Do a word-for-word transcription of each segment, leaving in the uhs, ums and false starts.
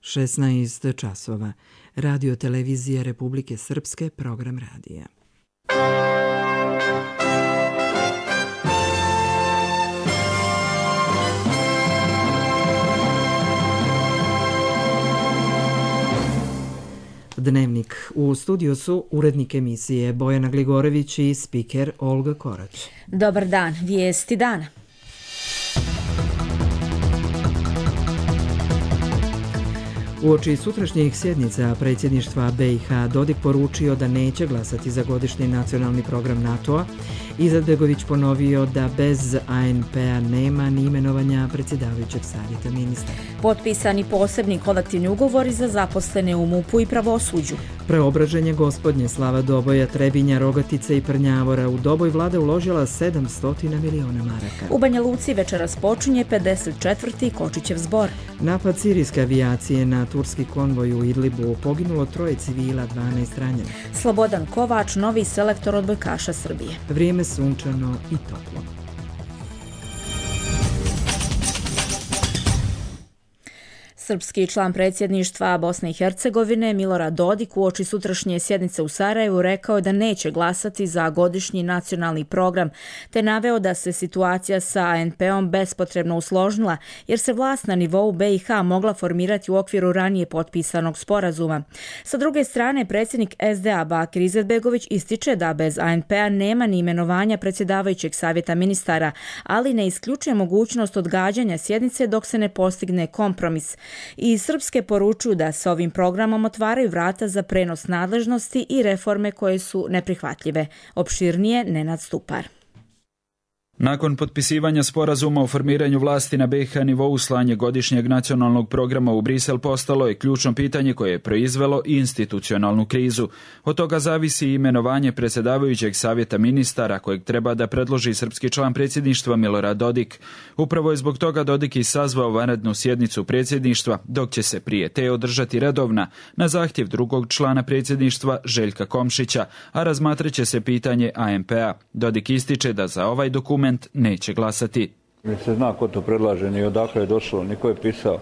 šesnaest časova. Radio televizija Republike Srpske, program radija. Dnevnik. U studiju su urednik emisije Bojana Gligorević i spiker Olga Korać. Dobar dan, vijesti dana. Uoči sutrašnjih sjednica predsjedništva B i H Dodik poručio da neće glasati za godišnji nacionalni program NATO-a. Izetbegović ponovio da bez A N P-a nema ni imenovanja predsjedavajućeg savjeta ministara. Potpisani posebni kolektivni ugovori za zaposlene u MUP-u i pravosuđu. Preobraženje Gospodnje, Slava Doboja, Trebinja, Rogatice i Prnjavora. U Doboj vlada uložila sedamsto miliona maraka. U Banja Luci večeras počinje pedeset četvrti Kočićev zbor. Napad sirijske avijacije na turski konvoj u Idlibu, poginulo troje civila, dvanaest ranjeno. Slobodan Kovač, novi selektor odbojkaša Srbije. Vrijeme sunčano i toplo. Srpski član predsjedništva Bosne i Hercegovine Milorad Dodik uoči sutrašnje sjednice u Sarajevu rekao je da neće glasati za godišnji nacionalni program, te naveo da se situacija sa A N P-om bespotrebno usložnila jer se vlast na nivou B i H mogla formirati u okviru ranije potpisanog sporazuma. Sa druge strane, predsjednik S D A Bakir Izetbegović ističe da bez A N P-a nema ni imenovanja predsjedavajućeg savjeta ministara, ali ne isključuje mogućnost odgađanja sjednice dok se ne postigne kompromis. I Srpske poručuju da se ovim programom otvaraju vrata za prenos nadležnosti i reforme koje su neprihvatljive. Opširnije Nenad Stupar. Nakon potpisivanja sporazuma o formiranju vlasti na B i H nivou, slanje godišnjeg nacionalnog programa u Brisel postalo je ključno pitanje koje je proizvelo institucionalnu krizu. Od toga zavisi i imenovanje predsjedavajućeg savjeta ministara kojeg treba da predloži srpski član predsjedništva Milorad Dodik. Upravo je zbog toga Dodik i sazvao vanrednu sjednicu predsjedništva, dok će se prije te održati redovna na zahtjev drugog člana predsjedništva Željka Komšića, a razmatrat će se pitanje A N P-a. Dodik ističe da za ovaj dokument neće glasati. Ne se zna ko to predlaže, ni odakle je došlo, ni ko je pisao.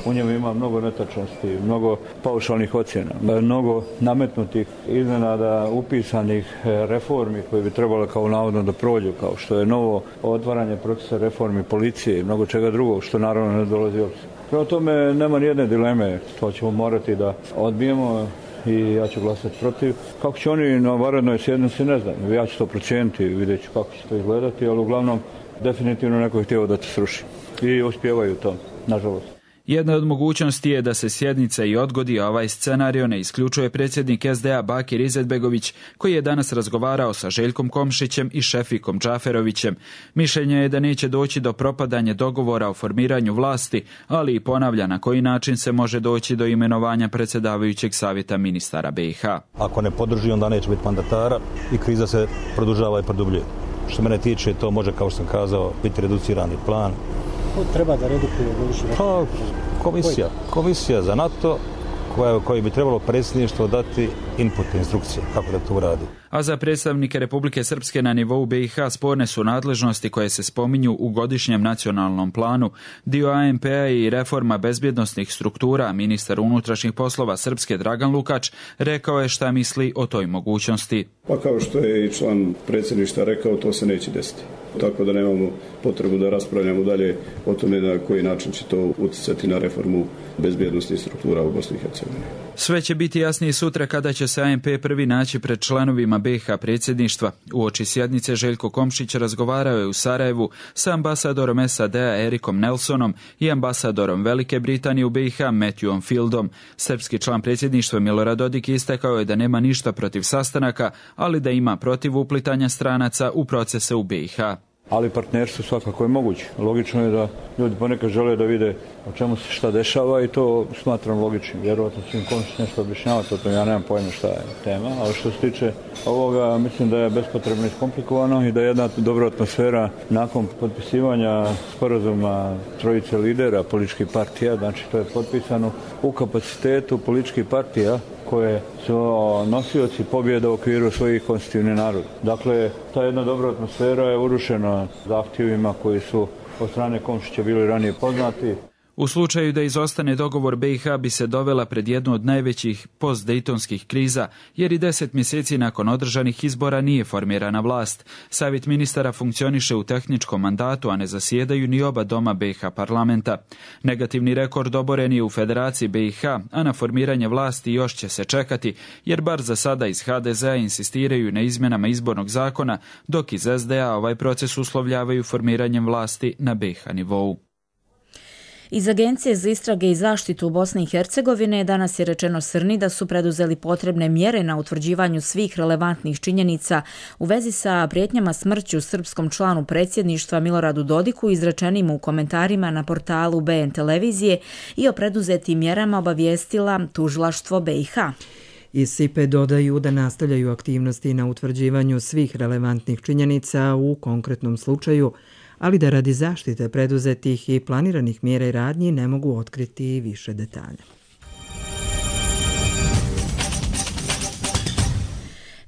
U njemu ima mnogo netačnosti, mnogo paušalnih ocjena, mnogo nametnutih iznenada upisanih reformi koje bi trebalo kao navodno da prođu, kao što je novo otvaranje procesa reformi policije i mnogo čega drugog, što naravno ne dolazi obzir. Prema tome nema nijedne dileme, to ćemo morati da odbijemo i ja ću glasati protiv. Kako će oni na vanrednoj sjednici, ne znam, ja ću to procijeniti, vidjet ću kako će to izgledati, ali uglavnom definitivno neko je htio da se sruši. I uspijevaju to, nažalost. Jedna od mogućnosti je da se sjednica i odgodi, a ovaj scenario ne isključuje predsjednik S D A Bakir Izetbegović, koji je danas razgovarao sa Željkom Komšićem i Šefikom Džaferovićem. Mišljenje je da neće doći do propadanja dogovora o formiranju vlasti, ali i ponavlja na koji način se može doći do imenovanja predsjedavajućeg savjeta ministara B i H. Ako ne podrži, onda neće biti mandatara i kriza se produžava i produbljuje. Što mene tiče, to može, kao što sam kazao, biti reducirani plan. Ko treba da redukuje godišnji pa, komisija, komisija za NATO koja, koji bi trebalo predsjedništvo dati input, instrukcije kako da to uradi. A za predstavnike Republike Srpske na nivou B i H sporne su nadležnosti koje se spominju u godišnjem nacionalnom planu. Dio A N P-a i reforma bezbjednosnih struktura. Ministar unutrašnjih poslova Srpske Dragan Lukač rekao je šta misli o toj mogućnosti. Pa kao što je i član predsjedništva rekao, to se neće desiti. Tako da nemamo potrebu da raspravljamo dalje o tome na koji način će to utjecati na reformu bezbjednosnih struktura u Bosni i Hercegovini. Sve će biti jasnije sutra kada će se A N P prvi naći pred članovima B i H predsjedništva. Uoči sjednice Željko Komšić razgovarao je u Sarajevu sa ambasadorom S A D-a Erikom Nelsonom i ambasadorom Velike Britanije u B i H Matthewom Fieldom. Srpski član predsjedništva Milorad Dodik istakao je da nema ništa protiv sastanaka, ali da ima protiv uplitanja stranaca u procese u B i H. Ali partnerstvo svakako je moguće. Logično je da ljudi ponekad žele da vide o čemu se šta dešava i to smatram logičnim. Vjerovatno će im Komšić nešto objašnjavati, o tom ja nemam pojma šta je tema, ali što se tiče ovoga, mislim da je bespotrebno iskomplikovano i da je jedna dobra atmosfera nakon potpisivanja sporazuma trojice lidera političkih partija, znači to je potpisano u kapacitetu političkih partija koje su nosioci pobjeda u okviru svojih konstitutivnih naroda. Dakle, ta jedna dobra atmosfera je urušena zahtjevima koji su od strane Komšića bili ranije poznati. U slučaju da izostane dogovor, B i H bi se dovela pred jednu od najvećih postdejtonskih kriza, jer i deset mjeseci nakon održanih izbora nije formirana vlast. Savjet ministara funkcioniše u tehničkom mandatu, a ne zasjedaju ni oba doma B i H parlamenta. Negativni rekord oboren je u Federaciji B i H, a na formiranje vlasti još će se čekati, jer bar za sada iz H D Z-a insistiraju na izmjenama izbornog zakona, dok iz S D A ovaj proces uslovljavaju formiranjem vlasti na B i H nivou. Iz Agencije za istrage i zaštitu u Bosni i Hercegovine danas je rečeno Srni da su preduzeli potrebne mjere na utvrđivanju svih relevantnih činjenica u vezi sa prijetnjama smrću srpskom članu predsjedništva Miloradu Dodiku izrečenim u komentarima na portalu B N televizije i o preduzetim mjerama obavijestila tužilaštvo B i H. Iz S I P E dodaju da nastavljaju aktivnosti na utvrđivanju svih relevantnih činjenica u konkretnom slučaju, ali da radi zaštite preduzetih i planiranih mjera i radnji ne mogu otkriti više detalja.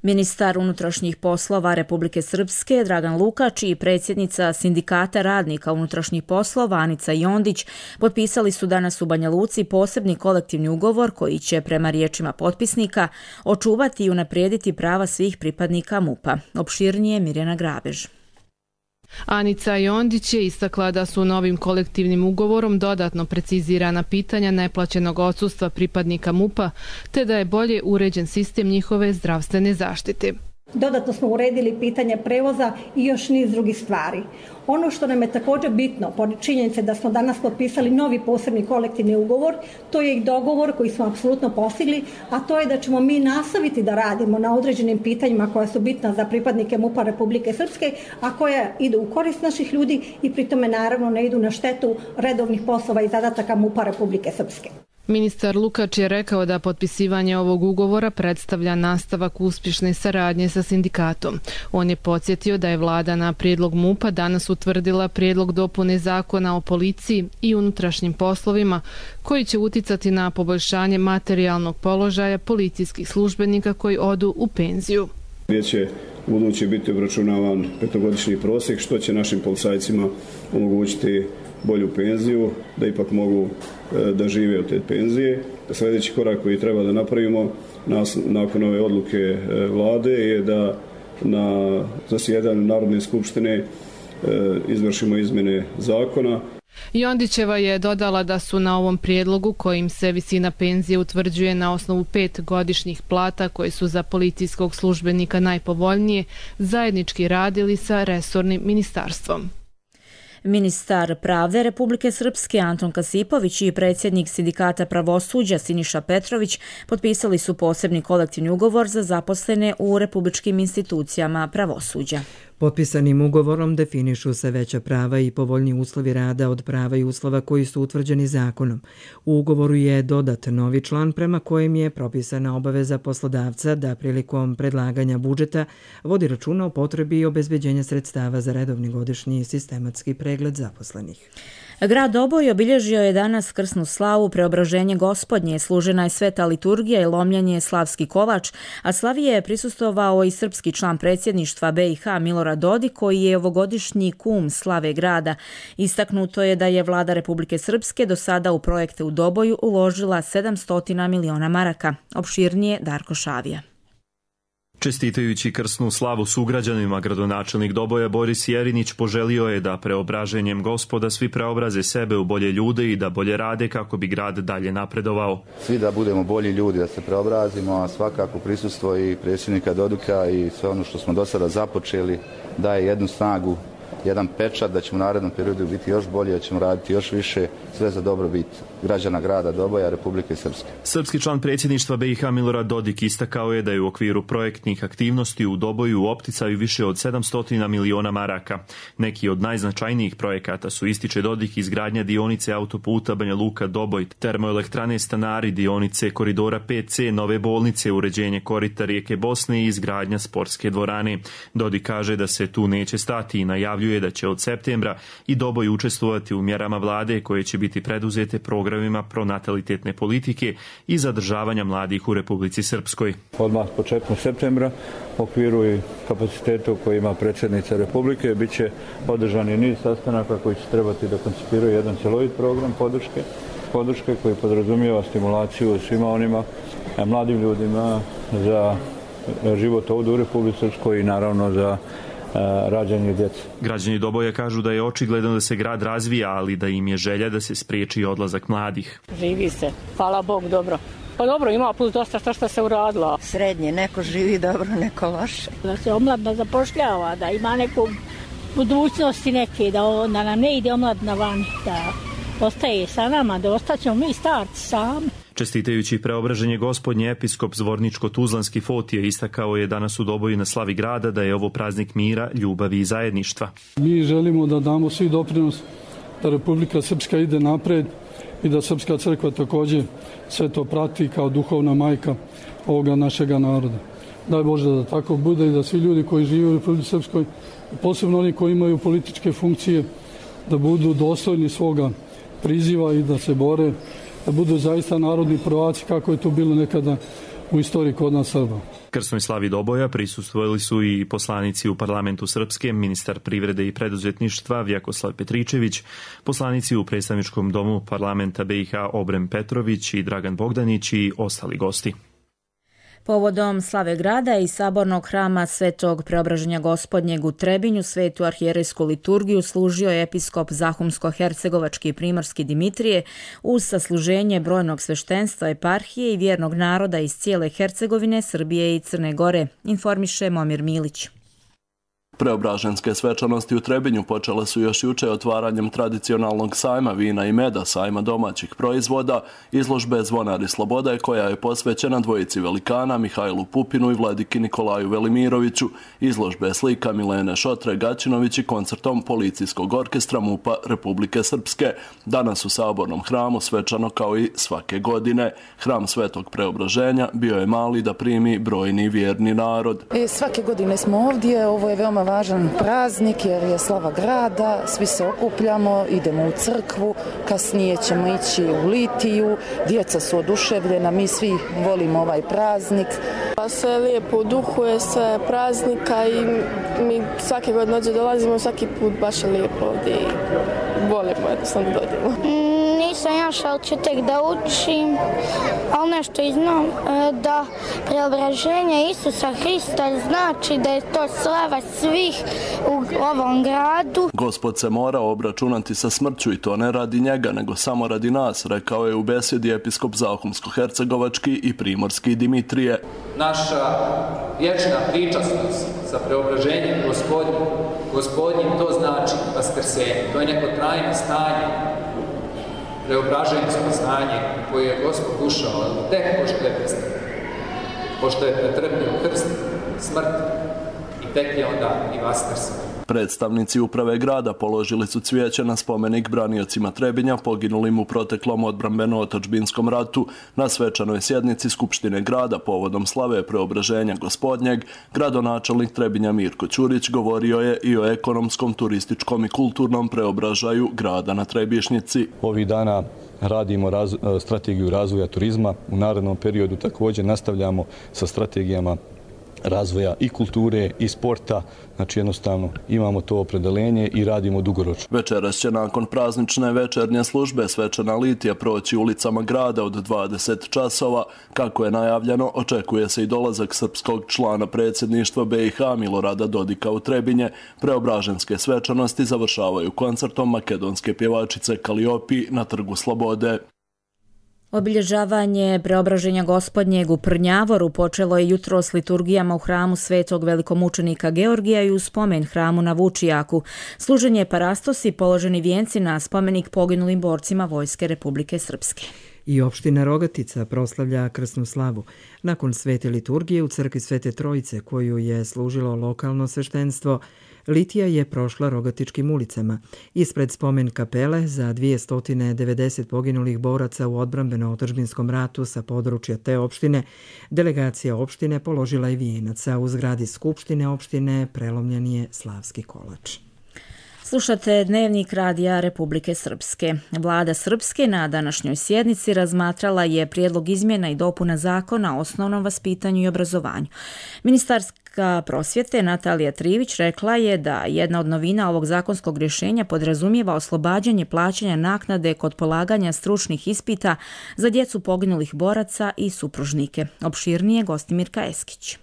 Ministar unutrašnjih poslova Republike Srpske Dragan Lukač i predsjednica Sindikata radnika unutrašnjih poslova Anica Jondić potpisali su danas u Banja Luci posebni kolektivni ugovor koji će, prema riječima potpisnika, očuvati i unaprijediti prava svih pripadnika MUP-a. Opširnije Mirjana Grabež. Anica Jondić je istakla da su novim kolektivnim ugovorom dodatno precizirana pitanja neplaćenog odsustva pripadnika MUP-a, te da je bolje uređen sistem njihove zdravstvene zaštite. Dodatno smo uredili pitanje prevoza i još niz drugih stvari. Ono što nam je također bitno, pored činjenice da smo danas potpisali novi posebni kolektivni ugovor, to je i dogovor koji smo apsolutno postigli, a to je da ćemo mi nastaviti da radimo na određenim pitanjima koja su bitna za pripadnike MUP-a Republike Srpske, a koja idu u korist naših ljudi i pri tome naravno ne idu na štetu redovnih poslova i zadataka MUP-a Republike Srpske. Ministar Lukač je rekao da potpisivanje ovog ugovora predstavlja nastavak uspješne saradnje sa sindikatom. On je podsjetio da je vlada na prijedlog MUP-a danas utvrdila prijedlog dopune zakona o policiji i unutrašnjim poslovima koji će uticati na poboljšanje materijalnog položaja policijskih službenika koji odu u penziju. Gdje će u buduće biti obračunavan petogodišnji prosjek, što će našim policajcima omogućiti bolju penziju, da ipak mogu da žive od te penzije. Sljedeći korak koji treba da napravimo nas, nakon ove odluke vlade je da na zasjedanju Narodne skupštine izvršimo izmjene zakona. Jondićeva je dodala da su na ovom prijedlogu kojim se visina penzije utvrđuje na osnovu pet godišnjih plata koje su za policijskog službenika najpovoljnije, zajednički radili sa resornim ministarstvom. Ministar pravde Republike Srpske Anton Kasipović i predsjednik Sindikata pravosuđa Siniša Petrović potpisali su posebni kolektivni ugovor za zaposlene u republičkim institucijama pravosuđa. Potpisanim ugovorom definišu se veća prava i povoljni uslovi rada od prava i uslova koji su utvrđeni zakonom. U ugovoru je dodat novi član prema kojem je propisana obaveza poslodavca da prilikom predlaganja budžeta vodi računa o potrebi i obezbeđenja sredstava za redovni godišnji sistematski pregled zaposlenih. Grad Doboj obilježio je danas krsnu slavu Preobraženje Gospodnje, služena je sveta liturgija i lomljenje slavski kolač, a slavi je prisustvovao i srpski član predsjedništva B i H Milorad Dodik, koji je ovogodišnji kum slave grada. Istaknuto je da je vlada Republike Srpske do sada u projekte u Doboju uložila sedamsto miliona maraka. Opširnije Darko Šavija. Čestitajući krsnu slavu sugrađanima, gradonačelnik Doboja Boris Jerinić poželio je da preobraženjem Gospoda svi preobraze sebe u bolje ljude i da bolje rade kako bi grad dalje napredovao. Svi da budemo bolji ljudi, da se preobrazimo, a svakako prisustvo i predsjednika Dodika i sve ono što smo do sada započeli daje jednu snagu, jedan pečat da ćemo u narednom periodu biti još bolje, da ćemo raditi još više, sve za dobrobit građana grada Doboja, Republike Srpske. Srpski član predsjedništva B i H Milorad Dodik istakao je da je u okviru projektnih aktivnosti u Doboju u opticaju više od sedamsto miliona maraka. Neki od najznačajnijih projekata su, ističe Dodik, izgradnja dionice autoputa Banja Luka Doboj, termoelektrane Stanari, dionice koridora pet C, nove bolnice, uređenje korita rijeke Bosne i izgradnja sportske dvorane. Dodik kaže da se tu neće stati i najavljuje najavljuje da će od septembra i Doboj učestvovati u mjerama vlade koje će biti preduzete programima pronatalitetne politike i zadržavanja mladih u Republici Srpskoj. Odmah početkom septembra u okviru i kapacitetu koji ima predsjednica Republike bit će održani niz sastanaka koji će trebati da koncipiraju jedan cjelovit program podrške, podrške koji podrazumijeva stimulaciju svima onima mladim ljudima za život ovdje u Republici Srpskoj i naravno za rađanje djece. Građani Doboja kažu da je očigledno da se grad razvija, ali da im je želja da se spriječi odlazak mladih. Živi se, hvala Bog, dobro. Pa dobro, ima plus dosta što, što se uradilo. Srednje, neko živi dobro, neko loše. Da se omladna zapošljava, da ima neku budućnosti neke, da, da nam ne ide omladna van, da ostaje sa nama, da ostaćemo mi starci sami. Čestitajući preobraženje Gospodnje, episkop Zvorničko-Tuzlanski Fotije istakao je danas u Doboju na slavi grada da je ovo praznik mira, ljubavi i zajedništva. Mi želimo da damo svi doprinos da Republika Srpska ide napred i da Srpska crkva također sve to prati kao duhovna majka ovoga našega naroda. Daj Bože da tako bude i da svi ljudi koji žive u Republici Srpskoj, posebno oni koji imaju političke funkcije, da budu dostojni svoga priziva i da se bore, da budu zaista narodni prvaci kako je to bilo nekada u istoriji kod nas Srba. Krsnoj slavi Doboja prisustvovali su i poslanici u parlamentu Srpske, ministar privrede i preduzetništva Vjekoslav Petričević, poslanici u predstavničkom domu parlamenta B i H Obrem Petrović i Dragan Bogdanić i ostali gosti. Povodom slave grada i sabornog hrama Svetog Preobraženja Gospodnjeg u Trebinju svetu arhijerejsku liturgiju služio je episkop Zahumsko-hercegovački i primorski Dimitrije uz sasluženje brojnog sveštenstva, eparhije i vjernog naroda iz cijele Hercegovine, Srbije i Crne Gore, informiše Momir Milić. Preobraženske svečanosti u Trebinju počele su još juče otvaranjem tradicionalnog sajma vina i meda, sajma domaćih proizvoda, izložbe Zvonari slobode koja je posvećena dvojici velikana Mihajlu Pupinu i vladiki Nikolaju Velimiroviću, izložbe slika Milene Šotre Gaćinović i koncertom Policijskog orkestra MUP-a Republike Srpske. Danas u sabornom hramu svečano kao i svake godine. Hram Svetog Preobraženja bio je mali da primi brojni vjerni narod. E, svake godine smo ovdje, ovo je veoma važan praznik jer je slava grada, svi se okupljamo, idemo u crkvu, kasnije ćemo ići u litiju, djeca su oduševljena, mi svi volimo ovaj praznik. Sve lijepo u duhu je, sve praznika i mi svake godine ovdje dolazimo, svaki put baš je lijepo ovdje i volimo jednostavno dođemo. Nisam još, ali ću tek da učim, ali nešto i znam da preobraženje Isusa Hrista znači da je to slava svih u ovom gradu. Gospod se mora obračunati sa smrću i to ne radi njega, nego samo radi nas, rekao je u besjedi episkop Zahumsko-hercegovački i primorski Dimitrije. Naša vječna pričasnost sa preobraženjem Gospodnjim, Gospodnjim to znači vaskrsenje, to je neko trajno stanje, preobraženjsko stanje koje je Gospod ušao tek pošto je predstavio, pošto je pretrpio krst, smrt i tek je onda i vaskrsao. Predstavnici uprave grada položili su cvijeće na spomenik braniocima Trebinja poginulim u proteklom odbrambeno-otadžbinskom ratu. Na svečanoj sjednici Skupštine grada povodom slave Preobraženja Gospodnjeg, gradonačelnik Trebinja Mirko Ćurić govorio je i o ekonomskom, turističkom i kulturnom preobražaju grada na Trebišnjici. Ovih dana radimo raz, strategiju razvoja turizma. U narednom periodu također nastavljamo sa strategijama razvoja i kulture i sporta, znači jednostavno imamo to opredelenje i radimo dugoročno. Večeras će nakon praznične večernje službe svečana litija proći ulicama grada od dvadeset časova. Kako je najavljeno, očekuje se i dolazak srpskog člana predsjedništva B i H Milorada Dodika u Trebinje. Preobraženske svečanosti završavaju koncertom makedonske pjevačice Kaliopi na Trgu Slobode. Obilježavanje Preobraženja Gospodnjeg u Prnjavoru počelo je jutro s liturgijama u hramu Svetog velikomučenika Georgija i u spomen hramu na Vučijaku. Služenje parastosi, položeni vijenci na spomenik poginulim borcima Vojske Republike Srpske. I opština Rogatica proslavlja krsnu slavu. Nakon svete liturgije u crkvi Svete Trojice, koju je služilo lokalno sveštenstvo, litija je prošla Rogatičkim ulicama. Ispred spomen kapele za dvjesto devedeset poginulih boraca u odbrambeno-otadžbinskom ratu sa područja te opštine, delegacija opštine položila je vijenac, a u zgradi Skupštine opštine prelomljen je slavski kolač. Slušate Dnevnik radija Republike Srpske. Vlada Srpske na današnjoj sjednici razmatrala je prijedlog izmjena i dopuna zakona o osnovnom vaspitanju i obrazovanju. Ministarska prosvjete Natalija Trivić rekla je da jedna od novina ovog zakonskog rješenja podrazumijeva oslobađanje plaćanja naknade kod polaganja stručnih ispita za djecu poginulih boraca i supružnike. Opširnije Gostimirka Eskić.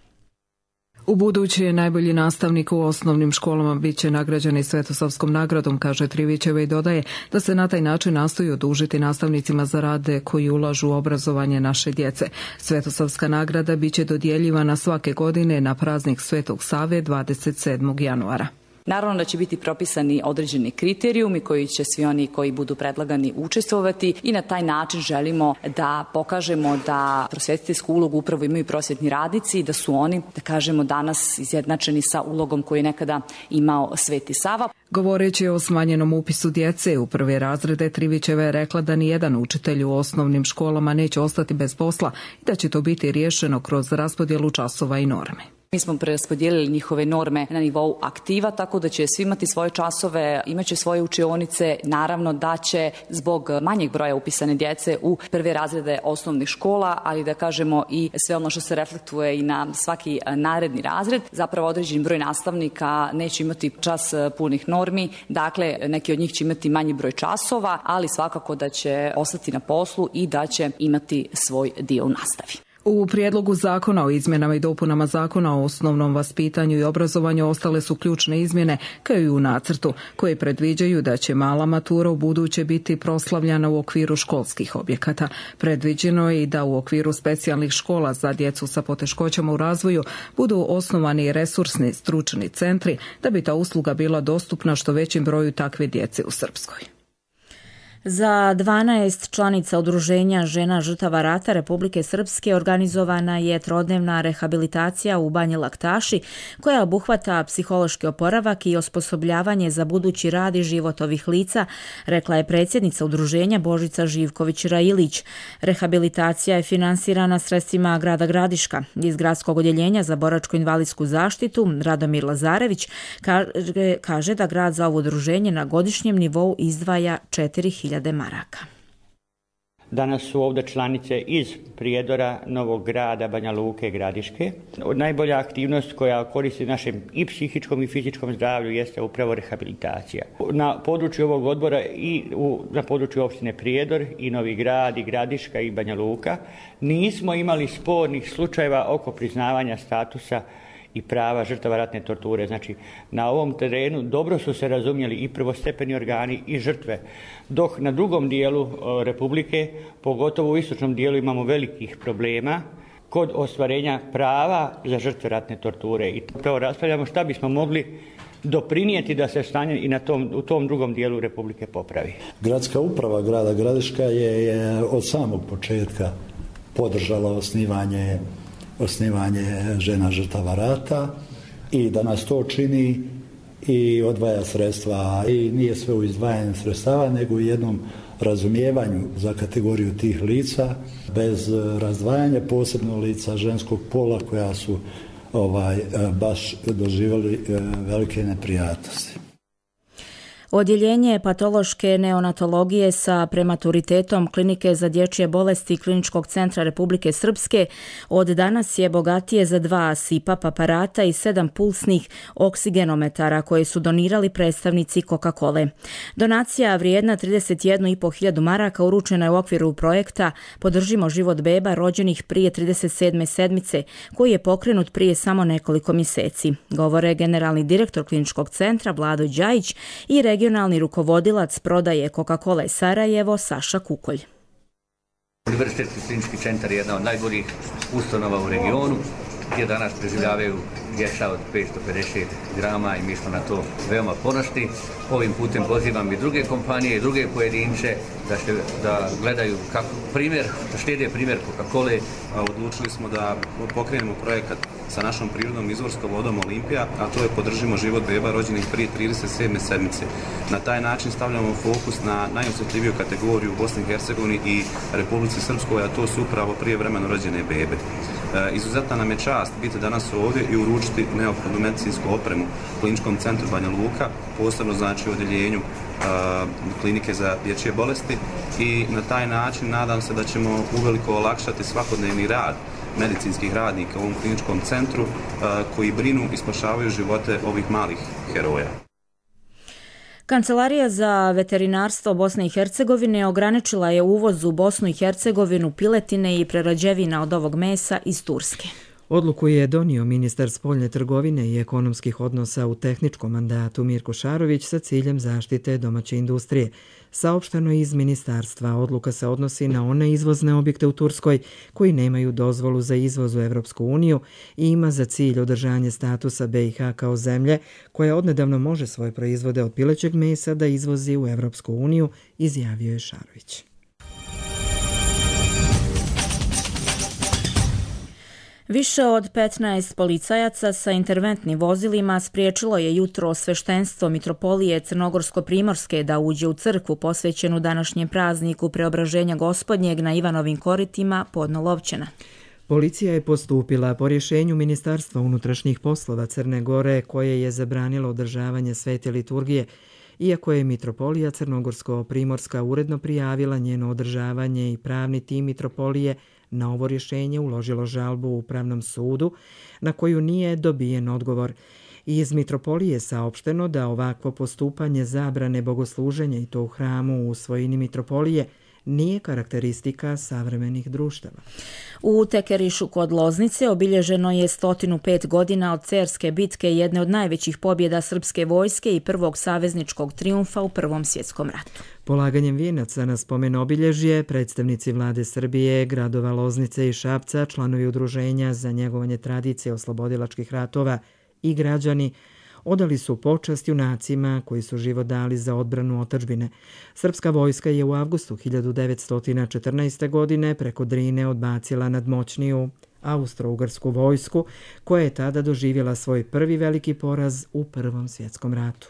U buduće najbolji nastavnik u osnovnim školama bit će nagrađen i Svetosavskom nagradom, kaže Trivićeva i dodaje da se na taj način nastoji odužiti nastavnicima za rade koji ulažu u obrazovanje naše djece. Svetosavska nagrada bit će dodjeljivana svake godine na praznik Svetog Save dvadeset sedmog januara. Naravno da će biti propisani određeni kriterijumi koji će svi oni koji budu predlagani učestvovati i na taj način želimo da pokažemo da prosvjetiteljsku ulogu upravo imaju prosvjetni radnici i da su oni, da kažemo, danas izjednačeni sa ulogom koju je nekada imao Sveti Sava. Govoreći o smanjenom upisu djece u prve razrede, Trivićeva je rekla da nijedan učitelj u osnovnim školama neće ostati bez posla i da će to biti riješeno kroz raspodjelu časova i norme. Mi smo preraspodijelili njihove norme na nivou aktiva, tako da će svi imati svoje časove, imaće svoje učionice. Naravno da će zbog manjeg broja upisane djece u prve razrede osnovnih škola, ali da kažemo i sve ono što se reflektuje i na svaki naredni razred, zapravo određen broj nastavnika neće imati čas punih normi, dakle neki od njih će imati manji broj časova, ali svakako da će ostati na poslu i da će imati svoj dio u nastavi. U prijedlogu zakona o izmjenama i dopunama zakona o osnovnom vaspitanju i obrazovanju ostale su ključne izmjene, kao i u nacrtu, koje predviđaju da će mala matura u buduće biti proslavljana u okviru školskih objekata. Predviđeno je i da u okviru specijalnih škola za djecu sa poteškoćama u razvoju budu osnovani resursni stručni centri, da bi ta usluga bila dostupna što većem broju takve djece u Srpskoj. Za dvanaest članica udruženja žena žrtava rata Republike Srpske organizovana je trodnevna rehabilitacija u Banji Laktaši, koja obuhvata psihološki oporavak i osposobljavanje za budući rad i život ovih lica, rekla je predsjednica udruženja Božica Živković-Railić. Rehabilitacija je finansirana sredstvima grada Gradiška. Iz gradskog odjeljenja za boračko-invalidsku zaštitu Radomir Lazarević kaže, kaže da grad za ovo udruženje na godišnjem nivou izdvaja četiri hiljade maraka. Danas su ovdje članice iz Prijedora, Novog Grada, Banja Luke, Gradiške. Najbolja aktivnost koja koristi našem i psihičkom i fizičkom zdravlju jeste upravo rehabilitacija. Na području ovog odbora i u, na području opštine Prijedor i Novi Grad i Gradiška i Banja Luka nismo imali spornih slučajeva oko priznavanja statusa i prava žrtava ratne torture. Znači, na ovom terenu dobro su se razumjeli i prvostepeni organi i žrtve, dok na drugom dijelu o, Republike, pogotovo u istočnom dijelu, imamo velikih problema kod ostvarenja prava za žrtve ratne torture. I upravo raspravljamo šta bismo mogli doprinijeti da se stanje i na tom, u tom drugom dijelu Republike popravi. Gradska uprava grada Gradiška je, je od samog početka podržala osnivanje osnivanje žena žrtava rata i da nas to čini i odvaja sredstva, i nije sve u izdvajanju sredstava, nego u jednom razumijevanju za kategoriju tih lica, bez razdvajanja, posebno lica ženskog pola koja su ovaj baš doživjeli velike neprijatnosti. Odjeljenje patološke neonatologije sa prematuritetom Klinike za dječje bolesti Kliničkog centra Republike Srpske od danas je bogatije za dva S I P A P aparata i sedam pulsnih oksigenometara koje su donirali predstavnici Coca-Cole. Donacija vrijedna trideset jednu i po hiljadu maraka uručena je u okviru projekta Podržimo život beba rođenih prije trideset sedme sedmice, koji je pokrenut prije samo nekoliko mjeseci. Govore generalni direktor Kliničkog centra Vlado Đajić i regionalni rukovodilac prodaje Coca-Cola Sarajevo Saša Kukolj. Univerzitetski klinički centar je jedna od najboljih ustanova u regionu, gdje danas preživljavaju djeca od petsto pedeset grama i mi smo na to veoma ponosni. Ovim putem pozivam i druge kompanije i druge pojedince da, se, da gledaju kako primjer, da slijede primjer Coca-Cole. Odlučili smo da pokrenemo projekat sa našom prirodnom izvorskom vodom Olimpija, a to je podržimo život beba rođenih prije trideset sedme sedmice. Na taj način stavljamo fokus na najosjetljiviju kategoriju u Bosni i Hercegovini i Republici Srpskoj, a to su upravo prijevremeno rođene bebe. E, izuzetna nam je čast biti danas ovdje i uručiti neophodnu medicinsku opremu Kliničkom centru Banja Luka, posebno znači u odjeljenju klinike za dječje bolesti, i na taj način nadam se da ćemo uveliko olakšati svakodnevni rad medicinskih radnika u ovom kliničkom centru koji brinu i spašavaju živote ovih malih heroja. Kancelarija za veterinarstvo Bosne i Hercegovine ograničila je uvoz u Bosnu i Hercegovinu piletine i prerađevina od ovog mesa iz Turske. Odluku je donio ministar spoljne trgovine i ekonomskih odnosa u tehničkom mandatu Mirko Šarović sa ciljem zaštite domaće industrije. Saopšteno iz ministarstva, odluka se odnosi na one izvozne objekte u Turskoj koji nemaju dozvolu za izvoz u Evropsku uniju i ima za cilj održanje statusa B i H kao zemlje koja odnedavno može svoje proizvode od pilećeg mesa da izvozi u Evropsku uniju, izjavio je Šarović. Više od petnaest policajaca sa interventnim vozilima spriječilo je jutro sveštenstvo Mitropolije Crnogorsko-Primorske da uđe u crkvu posvećenu današnjem prazniku Preobraženja Gospodnjeg na Ivanovim koritima Podnolovčana. Policija je postupila po rješenju Ministarstva unutrašnjih poslova Crne Gore koje je zabranilo održavanje svete liturgije, iako je Mitropolija Crnogorsko-Primorska uredno prijavila njeno održavanje i pravni tim Mitropolije na ovo rješenje uložilo žalbu u Upravnom sudu, na koju nije dobijen odgovor. Iz Mitropolije saopšteno da ovakvo postupanje zabrane bogosluženja i to u hramu u svojini Mitropolije nije karakteristika savremenih društava. U Tekerišu kod Loznice obilježeno je sto pet godina od Cerske bitke, jedne od najvećih pobjeda srpske vojske i prvog savezničkog trijumfa u Prvom svjetskom ratu. Polaganjem vijenaca na spomen obilježje, predstavnici vlade Srbije, gradova Loznice i Šapca, članovi udruženja za njegovanje tradicije oslobodilačkih ratova i građani odali su počast junacima koji su život dali za odbranu otadžbine. Srpska vojska je u avgustu hiljadu devetsto četrnaeste. godine preko Drine odbacila nadmoćniju austro-ugarsku vojsku, koja je tada doživjela svoj prvi veliki poraz u Prvom svjetskom ratu.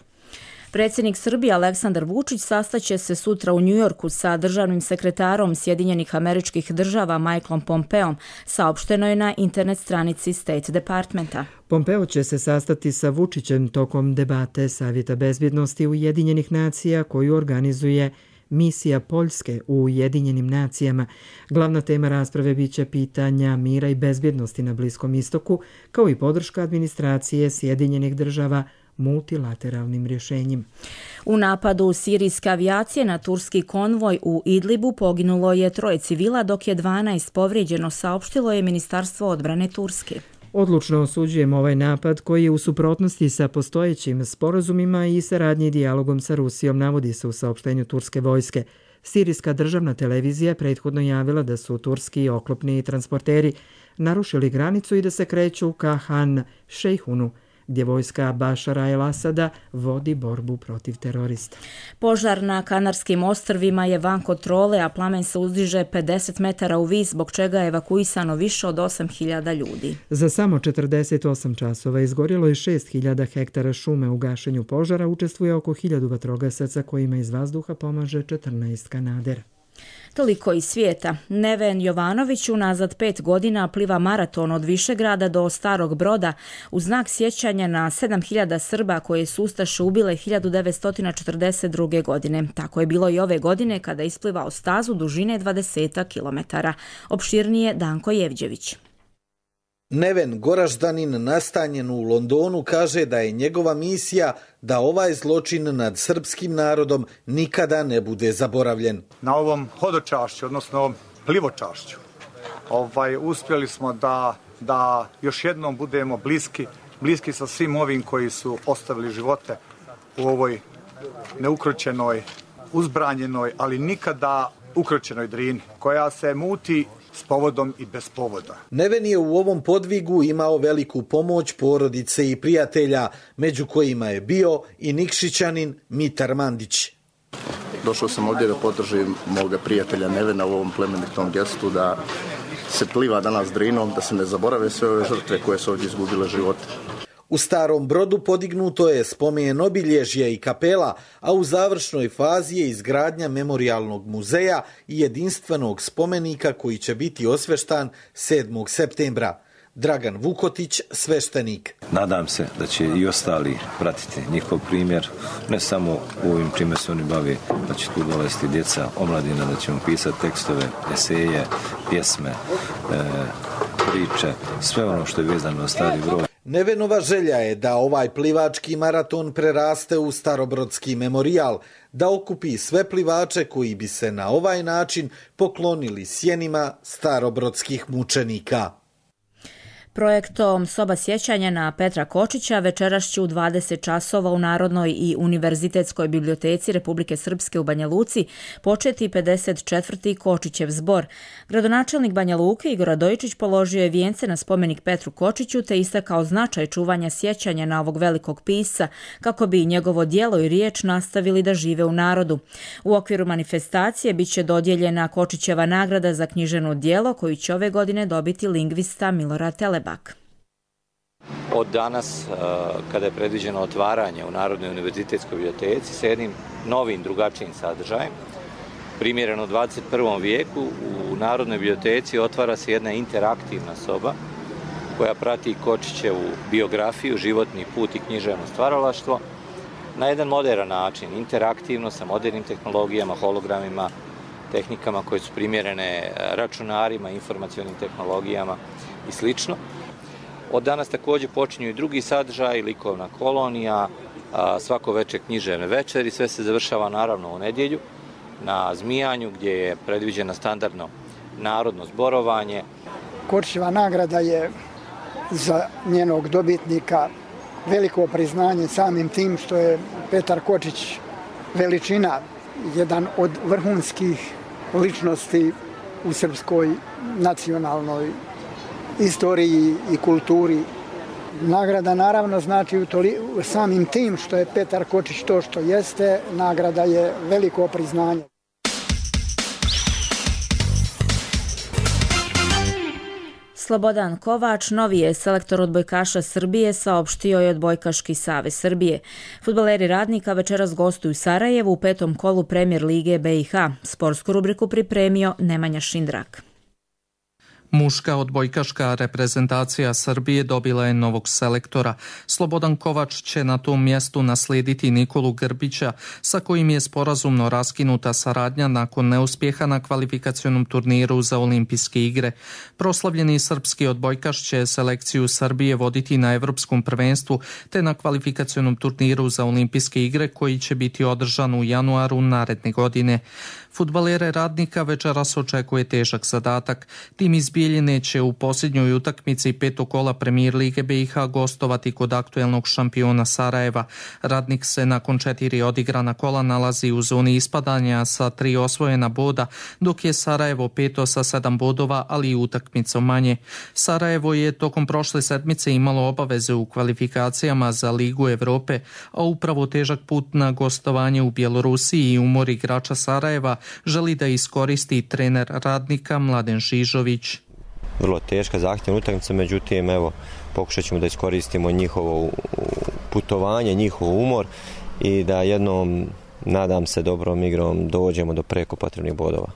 Predsjednik Srbije Aleksandar Vučić sastaće se sutra u Njujorku sa državnim sekretarom Sjedinjenih Američkih Država Michaelom Pompeom, saopšteno je na internet stranici State Departmenta. Pompeo će se sastati sa Vučićem tokom debate Savjeta bezbjednosti Ujedinjenih nacija koju organizuje misija Poljske u Ujedinjenim nacijama. Glavna tema rasprave biće pitanja mira i bezbjednosti na Bliskom istoku, kao i podrška administracije Sjedinjenih Država multilateralnim rješenjima. U napadu sirijske avijacije na turski konvoj u Idlibu poginulo je troje civila, dok je dvanaest povrijeđeno, saopštilo je Ministarstvo odbrane Turske. Odlučno osuđujemo ovaj napad koji je u suprotnosti sa postojećim sporazumima i saradnji i dijalogom sa Rusijom, navodi se u saopštenju turske vojske. Sirijska državna televizija prethodno javila da su turski oklopni transporteri narušili granicu i da se kreću ka Han Šejhunu, gdje vojska Bašara el-Asada vodi borbu protiv terorista. Požar na Kanarskim ostrvima je van kontrole, a plamen se uzdiže pedeset metara u vis, zbog čega je evakuisano više od osam hiljada ljudi. Za samo četrdeset osam časova izgorjelo je šest hiljada hektara šume. U gašenju požara učestvuje oko hiljadu vatrogasaca kojima iz vazduha pomaže četrnaest kanadera. Toliko iz svijeta. Neven Jovanović unazad pet godina pliva maraton od Višegrada do Starog Broda u znak sjećanja na sedam hiljada Srba koje su ustaše ubile hiljadu devetsto četrdeset druge. godine. Tako je bilo i ove godine kada je isplivao stazu dužine dvadeset kilometara. Opširnije Danko Jevđević. Neven, Goraždanin nastanjen u Londonu, kaže da je njegova misija da ovaj zločin nad srpskim narodom nikada ne bude zaboravljen. Na ovom hodočašću, odnosno plivočašću, ovaj, uspjeli smo da, da još jednom budemo bliski, bliski sa svim ovim koji su ostavili živote u ovoj neukročenoj, uzbranjenoj, ali nikada ukročenoj Drini, koja se muti s povodom i bez povoda. Neven je u ovom podvigu imao veliku pomoć porodice i prijatelja, među kojima je bio i Nikšićanin Mitar Mandić. Došao sam ovdje da podržim moga prijatelja Nevena u ovom plemenitom gestu, da se pliva danas Drinom, da se ne zaborave sve ove žrtve koje su ovdje izgubile živote. U Starom Brodu podignuto je spomen obilježje i kapela, a u završnoj fazi je izgradnja memorijalnog muzeja i jedinstvenog spomenika koji će biti osveštan sedmog septembra. Dragan Vukotić, sveštenik. Nadam se da će i ostali pratiti njihov primjer, ne samo u ovim čime se oni bave, da će tu dolaziti djeca, omladina, da ćemo pisati tekstove, eseje, pjesme, e, priče, sve ono što je vezano na Stari Brod. Nevenova želja je da ovaj plivački maraton preraste u Starobrodski memorijal, da okupi sve plivače koji bi se na ovaj način poklonili sjenima starobrodskih mučenika. Projektom Soba sjećanja na Petra Kočića večeras će u dvadeset časova u Narodnoj i Univerzitetskoj biblioteci Republike Srpske u Banja Luci početi pedeset četvrti Kočićev zbor. Gradonačelnik Banja Luke Igor Radojičić položio je vijence na spomenik Petru Kočiću te istakao značaj čuvanja sjećanja na ovog velikog pisca kako bi njegovo djelo i riječ nastavili da žive u narodu. U okviru manifestacije bit će dodijeljena Kočićeva nagrada za književno djelo koju će ove godine dobiti lingvista Milorad Telebak. Od danas, kada je predviđeno otvaranje u Narodnoj univerzitetskoj biblioteci sa jednim novim, drugačijim sadržajem, primjereno u dvadeset prvom vijeku, u Narodnoj biblioteci otvara se jedna interaktivna soba koja prati Kočićevu biografiju, životni put i književno stvaralaštvo na jedan moderan način, interaktivno, sa modernim tehnologijama, hologramima, tehnikama koje su primjerene računarima, informacionim tehnologijama i slično. Od danas također počinju i drugi sadržaj, likovna kolonija, svako večer književne večeri, sve se završava naravno u nedjelju na Zmijanju gdje je predviđeno standardno narodno zborovanje. Kočićeva nagrada je za njenog dobitnika veliko priznanje samim tim što je Petar Kočić veličina, jedan od vrhunskih ličnosti u srpskoj nacionalnoj istoriji i kulturi. Nagrada naravno znači u toli, samim tim što je Petar Kočić to što jeste, nagrada je veliko priznanje. Slobodan Kovač, novi je selektor odbojkaša Srbije, saopštio je Odbojkaški savez Srbije. Fudbaleri Radnika večeras gostuju u Sarajevu u petom kolu Premijer lige B i H. Sportsku rubriku pripremio Nemanja Šindrak. Muška odbojkaška reprezentacija Srbije dobila je novog selektora. Slobodan Kovač će na tom mjestu naslijediti Nikolu Grbića, sa kojim je sporazumno raskinuta saradnja nakon neuspjeha na kvalifikacionom turniru za olimpijske igre. Proslavljeni srpski odbojkaš će selekciju Srbije voditi na Evropskom prvenstvu te na kvalifikacionom turniru za olimpijske igre koji će biti održan u januaru naredne godine. Fudbalere Radnika večeras očekuje težak zadatak. Tim iz Bijeljine će u posljednjoj utakmici petog kola Premijer lige B i H gostovati kod aktuelnog šampiona Sarajeva. Radnik se nakon četiri odigrana kola nalazi u zoni ispadanja sa tri osvojena boda, dok je Sarajevo peto sa sedam bodova, ali i utakmicom manje. Sarajevo je tokom prošle sedmice imalo obaveze u kvalifikacijama za Ligu Evrope, a upravo težak put na gostovanje u Bjelorusiji i umor igrača Sarajeva želi da iskoristi trener Radnika Mladen Žižović. Vrlo teška, zahtjevna utakmica, međutim evo pokušat ćemo da iskoristimo njihovo putovanje, njihov umor i da jednom, nadam se, dobrom igrom dođemo do preko potrebnih bodova.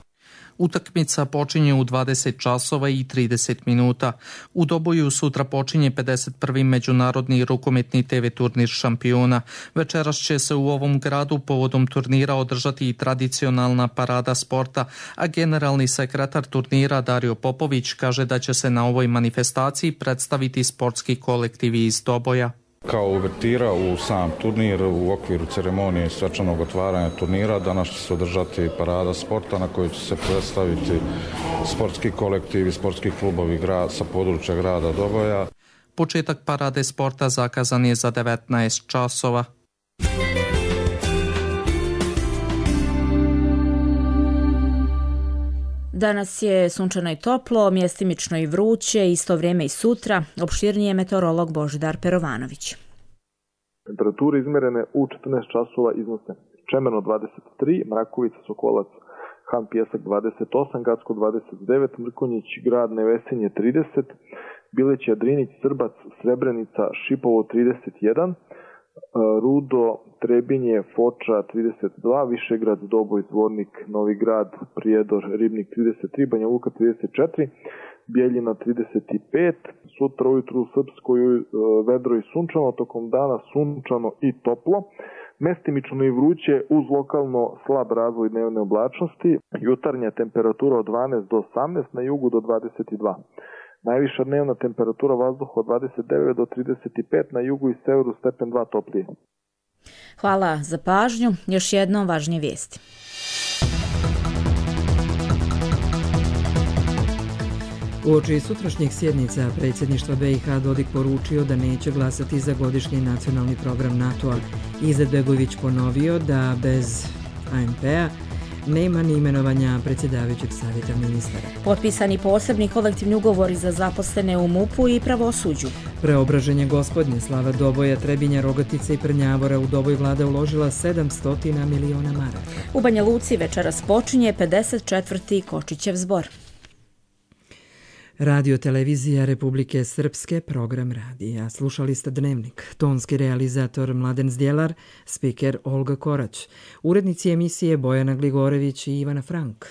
Utakmica počinje u dvadeset časova i trideset minuta. U Doboju sutra počinje pedeset prvi međunarodni rukometni te ve turnir šampiona. Večeras će se u ovom gradu povodom turnira održati i tradicionalna parada sporta, a generalni sekretar turnira Dario Popović kaže da će se na ovoj manifestaciji predstaviti sportski kolektivi iz Doboja. Kao uvertira u sam turnir u okviru ceremonije svečanog otvaranja turnira danas će se održati parada sporta na kojoj će se predstaviti sportski kolektivi, sportski klubovi grad, sa područja grada Doboja. Početak parade sporta zakazan je za devetnaest časova. Danas je sunčano i toplo, mjestimično i vruće, isto vrijeme i sutra, opširnije meteorolog Božidar Perovanović. Temperature izmerene u četrnaest časova iznose Čemerno dvadeset tri, Mrakovica, Sokolac Han Pjesak dvadeset osam, Gacko dvadeset devet, Mrkonjić grad Nevesinje trideset, Bileć Jadrinić, Srbac, Srebrenica, Šipovo trideset jedan, Rudo, Trebinje, Foča trideset dva, Višegrad, Doboj, Zvornik, Novi Grad, Prijedor, Ribnik trideset tri, Banja Luka trideset četiri, Bijeljina trideset pet, sutra ujutru u Srpskoj vedro i sunčano, tokom dana sunčano i toplo, mestimično i vruće uz lokalno slab razvoj dnevne oblačnosti, jutarnja temperatura od dvanaest do osamnaest, na jugu do dvadeset dva. Najviša dnevna temperatura vazduha od dvadeset devet do trideset pet, na jugu i severu stepen dva toplije. Hvala za pažnju. Još jednom važnije vijesti. Uoči sutrašnjih sjednica predsjedništva B i H Dodik poručio da neće glasati za godišnji nacionalni program NATO-a. Izetbegović ponovio da bez A N P-a nema ni imenovanja predsjedavajućeg savjeta ministara. Potpisani posebni kolektivni ugovori za zaposlene u MUP-u i pravosuđu. Preobraženje Gospodnje, slava Doboja, Trebinja, Rogatice i Prnjavora, u Doboj vlada uložila sedamsto miliona maraka. U Banja Luci večeras počinje pedeset četvrti Kočićev zbor. Radio televizija Republike Srpske, program radija. Slušali ste Dnevnik. Tonski realizator Mladen Zdjelar, spiker Olga Korać. Urednici emisije Bojana Gligorević i Ivana Frank.